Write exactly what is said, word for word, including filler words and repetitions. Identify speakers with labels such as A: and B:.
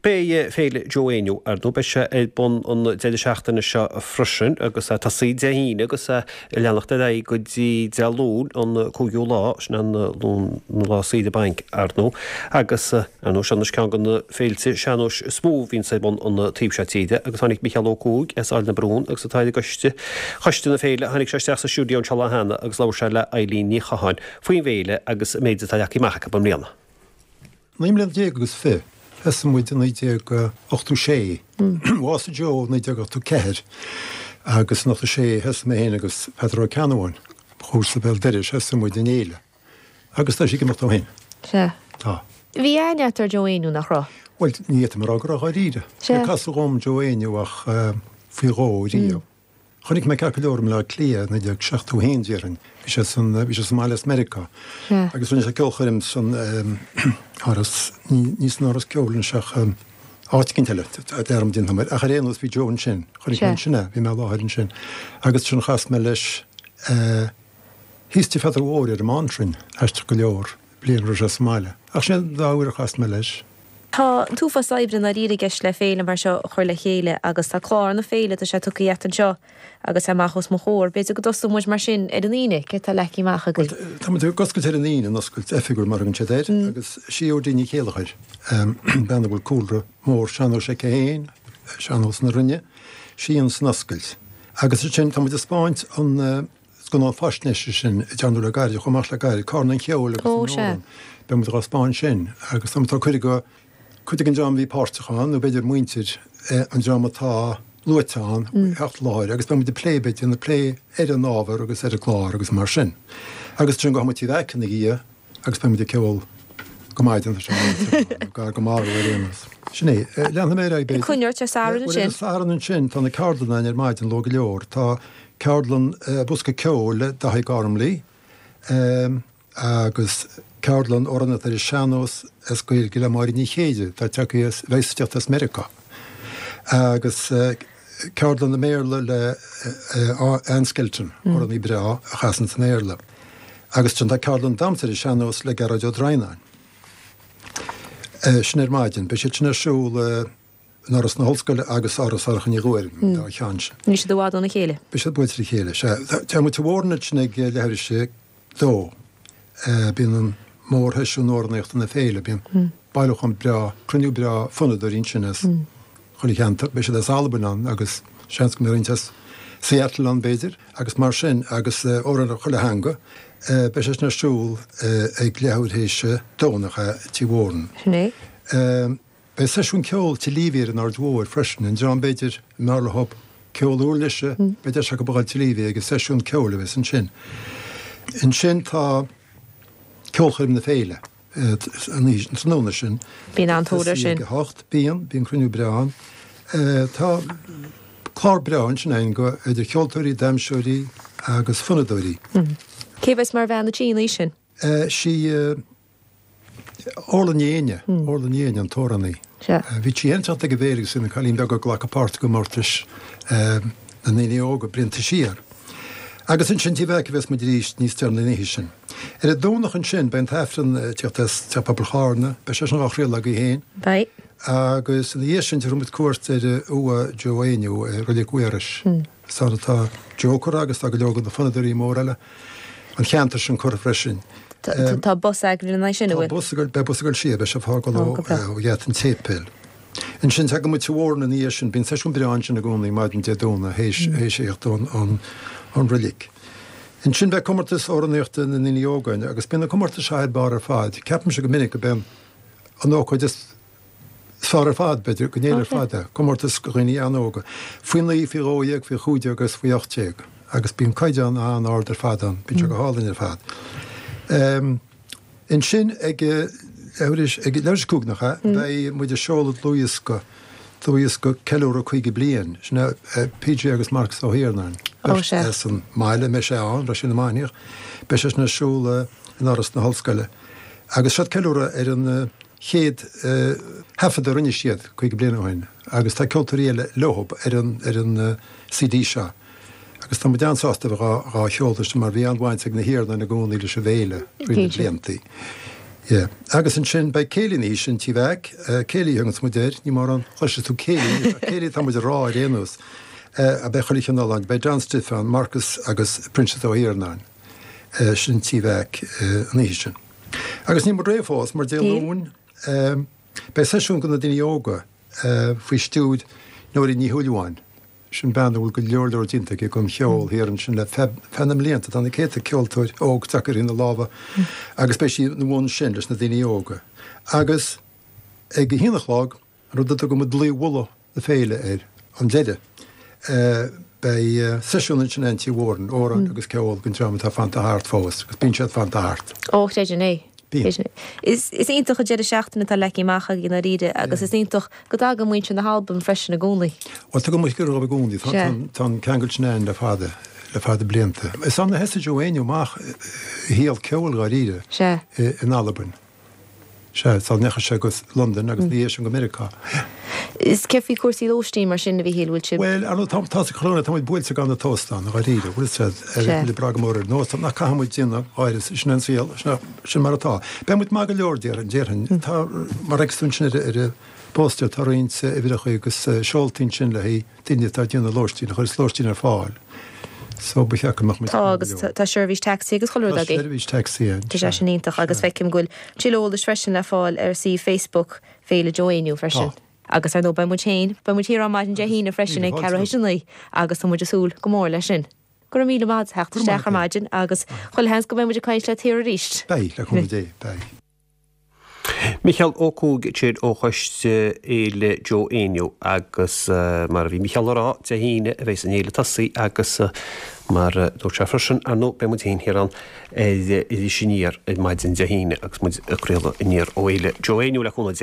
A: Beidh Féile Joe Éinniú ar ndóigh beidh sé ar bun an deireadh seachtaine seo freisin agus tosaí Dé hAoine agus leanacht ar aghaidh go dtí Dé Luain an cúigiú lá sin an Luan an lá saoire bainc ar ndóigh agus ar ndóigh seo anois ceann de na féilte sean-nóis is mó a bhíonns ar bun an taobh seo tíre agus tháinig Micheál Ó Cuaig as Aill na Brún agus atá ar an gcoiste choiste na féile tháinig sé isteach sa stiúideo anseo lá cheana agus labhair sé le Eilín Ní Chatháin faoin bhféile agus an méid atá leagtha amach acu i mbliana.
B: Naoi mbliana déag agus fiche, thosaigh muid i naoi déag ochtó sé. Bhásaigh Joe i naoi déag ochtó ceathair agus in ochtó sé thosaigh mé féin agus Peadar Ó Ceannabháin, mo chomharsa béal dorais, thosaigh muid an fhéile. Agus tá sí ag imeacht ó shin.
C: Sea.
B: Tá.
C: Bhí aithne agat ar Joe Éinniú, nach raibh?
B: Bhuel, ní fhéadfainn a rá go raibh dháiríre.
C: Sea.
B: Níor casadh dhom Joe Éinniú ach faoi dhó riamh. Chonaic mé ceart go leor i mBleá Cliath i naoi déag seachtó a haon déarfainn. Bhí sé san, bhí sé sa mbaile as Meiriceá.
C: Sea.
B: Agus rinne sé ceolchoirm san Áras, ní, ní san Áras Ceoil anois ach áit eicínt eile, dearmad déanta agam air. Ach ar aon nós bhí Joe ansin. Chonaic mé ansin é, bhí mé i láthair ansin. Agus ansin chas mé leis thíos Tigh Pheadair Mhóir ar an mBántrainn, aisteach go leor, bliain a raibh sé sa mbaile. Ach sin an dá uair a chas mé leis.
C: Tá an t-uafás oibre i ndáiríre i gceist le féile mar seo a chur le chéile agus tá clár na féile, tá sé tugtha agat anseo agus é amach os mo chomhair. B'fhéidir go dtosóidh muid mar sin ar an Aoine, céard atá leagtha amach agaibh?
B: Bhuel, tá muid ag oscailt ar an Aoine, an oscailt oifigiúil mar a thugann siad air, agus sí Aedín Ní Chéilleachair, bean a bhfuil cúlra mór sean-nóis aici féin, sean-nós na Rinne, sí a dhéanann an oscailt. Agus ansin tá muid ag spáint an scannán faisnéise sin a dearnadh le gairid, chomh maith le gairid, Carn an Cheoil agus an Amhrán. Beidh muid dhá spáint sin agus tá muid tá cuireadh go cuid den dream a bhí páirteach ann, nó b'fhéidir muintir an dream atá luaite ann, theacht i láthair agus beidh muid ag plé, beidh déanamh plé ar an ábhar agus ar an gclár agus mar sin. Agus ansin gabhfaidh muid Tigh Mheaic ina dhiaidh agus beidh muid ag ceol go maidin, tá sé nó gar go marbh ar aon nós. Sin é. Leanfaidh mé ar aghaidh b'fhéidir.
C: Coinneoidh ar Satharn ansin.
B: Bhuel, ar an Satharn ansin tá na ceardlanna ann ar maidin luath go leor. Tá ceardlann bosca ceoil le Daithí Gormley. Agus ceardlann amhránaíocht ar an sean-nós as Gaeilge le Máire Ní Chéide, atá tagtha as, bheas ag teacht as Meiriceá. Agus ceardlann i mBéarla le Ann Skelton, amhránaí breá a chasann i mBéarla. Agus ansin tá ceardlann damhsa ar an sean-nós le Gearóid Ó Droighneáin. Sin ar maidin. Beidh siad sin ar siúl in Áras na hOllscoile agus Áras Shorcha Ní Ghuairim, an dá cheann sin.
C: Níl siad i bhfad óna chéile.
B: Beidh siad buailte le chéile, sea. Tá muid sa Mhóran ansin ag leathuair tar éis a dó. Bíonn an mórsheisiún amhránaíochta na féile, bíonn bailiúchán breá, cruinniú breá fonnadóirí ansin as chuile cheantar. Beidh siad as Albain ann agus seans go mbeidh roinnt as Seattle ann b'fhéidir agus mar sin agus amhráin chuile theanga. Beidh sé sin ar siúl ag leathuair théis a dó nach ea, Tigh Mhóran.
C: Sin é.
B: Beidh seisiún ceoil Tigh Leavey ar an Aird Mhóir freisin, an dream b'fhéidir a mb'fhearr leo ceol uirlise, beidh deis acu a dhul Tigh Leavey ag an seisiún ceoil a bheas ansin. Ansin tá ceolchoirm na féile an oíche, an tráthnóna sin.
C: Bíonn an-tóir air sin.
B: Ag a hocht, bíonn, bíonn cruinniú breá ann. Tá clár breá ansin againn go idir cheoltóirí, damhsóirí agus fonnadóirí.
C: Cé bheas mar bhean a' tí an oíche sin?
B: Sí. Orla Ní Éinne, Orla Ní Éinne an t-amhránaí. Bhí sí féin ag teacht ag an bhféile agus í ina cailín beag ag glacadh páirt i gcomórtais na ndaoine óga blianta siar. Agus ansin Tigh Mheaic a bheas muid arís níos deireanaí an oíche sin. Ar an Domhnach ansin beidh an tAifreann ag teacht as Teach Pobail Charna, beidh sé sin dhá chraoladh agaibh féin.
C: Beidh.
B: Agus ina dhiaidh sin tabharfaidh muid cuairt ar uaigh Joe Éinniú i Reilig Mhaorais. Is ann atá Joe curtha agus tá go leor de na fonnadóirí móra eile an cheantair sin curtha freisin.
C: Tá bus eagraithe lena aghaidh sin, an bhfuil?
B: Tá bus ag, beidh bus ag dul siar, beidh sé ag fágáil ó gheata an tséipéil. Ansin tagann muid Tigh Mhóran ina dhiaidh sin, bíonn seisiún breá ansin i gcónaí maidin Dé Domhnaigh théis théis a thíocht ón ón reilig. Ansin beidh comórtas amhránaíochta na ndaoine óga ann agus bíonn na comórtais seo thar barr ar fad. Ceapaimse go minic go b'é an ócáid is Is fearr ar fad, b'fhéidir, den fhéile ar fad é. Comórtas do dhaoine an-óga. Faoi naoi, faoi dhó dhéag, faoi chúig déag agus faoi ocht déag. Agus bíonn caighdeán an-ard ar fad ann. Bíonn sé go hálainn ar fad. Ansin ag leathuair ag leathuair tar éis a cúig, nach ea, beidh muid ag seoladh dlúthdhiosca, dlúthdhiosca ceiliúradh caoga bliain. Sin é PJ agus Marcus Ó hIarnáin, beirt as an mbaile, mbeidh sé ann, raibh sé na Mainiach. Beidh sé sin ar siúl in Áras na hOllscoile. Agus seod ceiliúradh ar an chéad thaifead a rinne siad caoga bliain ó shin agus tá ceoltóirí eile leo ar an ar an C D seo agus tá muid an-sásta a bheith dhá sheoladh mar bhí an-bhaint ag na hIarnáin i gcónaí leis an bhféile thrí na bliantaí. Yeah. Agus ansin beidh céilí an oíche sin Tí Mheaic, céilí a thuganns muid air, ní mórán chloisfidh tú céilí, céilí atá muid a rá ar aon nós. A beidh chuile chineál ann, beidh John Stiffe ann, Marcus agus Proinsias Ó hIarnáin. Sin Tí Mheaic an oíche sin. Agus níl muid réidh fós, mar Dé Luain beidh seisiún do na daoine óga faoi stiúir Nóirín Ní Shúilleabháin. Sin bean a bhfuil go leor leor déanta aici don cheol thiar ansin le feadh na mblianta. Tá na céadta ceoltóir óg tagtha thrína lámha agus beidh sí ina bhun sin leis na daoine óga. Agus ag a haon a chlog, an rud a dtugann muid dlaoi mhullaigh na féile air, an deireadh, beidh seisiún ansin in Tí Mhóráin, amhráin agus ceol don dream atá fanta thart fós, agus bíonn siad fanta thart.
C: Ó, chreidfinn é.
B: Bíonn.
C: Is iontach an deireadh seachtaine atá leagtha amach agaibh i ndáiríre agus is iontach go dtagann muintir na hAlban freisin i gcónaí.
B: Bhuel, tagann muid go i gcónaí. Tá an ceangal sin ann le fada, le fada blianta. Is ann a thosaigh Joe Éinniú amach a shaol ceoil dháiríre in Albain. Sea, sula ndeachaigh sé go Londain agus ina dhiaidh sin go Meiriceá.
C: Is céard faoi chúrsaí lóistín mar sin, a Mhíchíl, bhfuil sibh.
B: Bhuel, ar ndóigh, tá, tá sa chorona, tá muid buailte gan na t-óstán, dháiríre, bhfuil fhios a'd,
C: Sea.
B: muid ag brath go mór ar an óstán, ach caithfidh muid déanamh, dháiríre, sin an saol, sin, sin mar atá. Beidh muid maith go leor, déarfainn, déarfainn. Tá, mar a fheiceas tú ansin ar, ar an bpóstaer, tá roinnt uimhreacha agus seoltaí ansin le haghaidh daoine atá ag déanamh lóistín, a chuireas lóistín ar fáil. So ba cheart go mbeadh muid
C: Tá agus tá seirbhís tacsaí agus chuile rud
B: Tá
C: agaibh.
B: seirbhís tacsaí ann,
C: Tá sé
B: sea.
C: sin iontach agus feicim go bhfuil tuilleadh eolais freisin le fáil ar suíomh Facebook Féile Joe Éinniú freisin.
B: Tá.
C: Agus ar ndóigh beidh muid féin, beidh muid thiar ar maidin Dé hAoine freisin
B: Míle
C: ag
B: fáilte
C: ceathrú
B: romhat.
C: théis a naoi agus tá muid ag súil go mór leis sin. Go raibh míle maith agat as theacht
B: Go raibh maith
C: isteach ar
B: agat.
C: maidin agus chuile sheans go mbeidh muid ag caint leat thiar arís.
B: Beidh, le cúnamh Dé, beidh.
A: Micheál Ó Cuaig ansin ó Choiste Fhéile Joe Éinniú agus mar a bhí Micheál a rá, Dé hAoine a bheas an fhéile ag tosaí agus mar a dúirt sé freisin, ar ndóigh beidh muid féin thiar ann ar Iris Aniar ar maidin Dé hAoine agus muid ag craoladh aniar ó Fhéile Joe Éinniú le cúnamh Dé.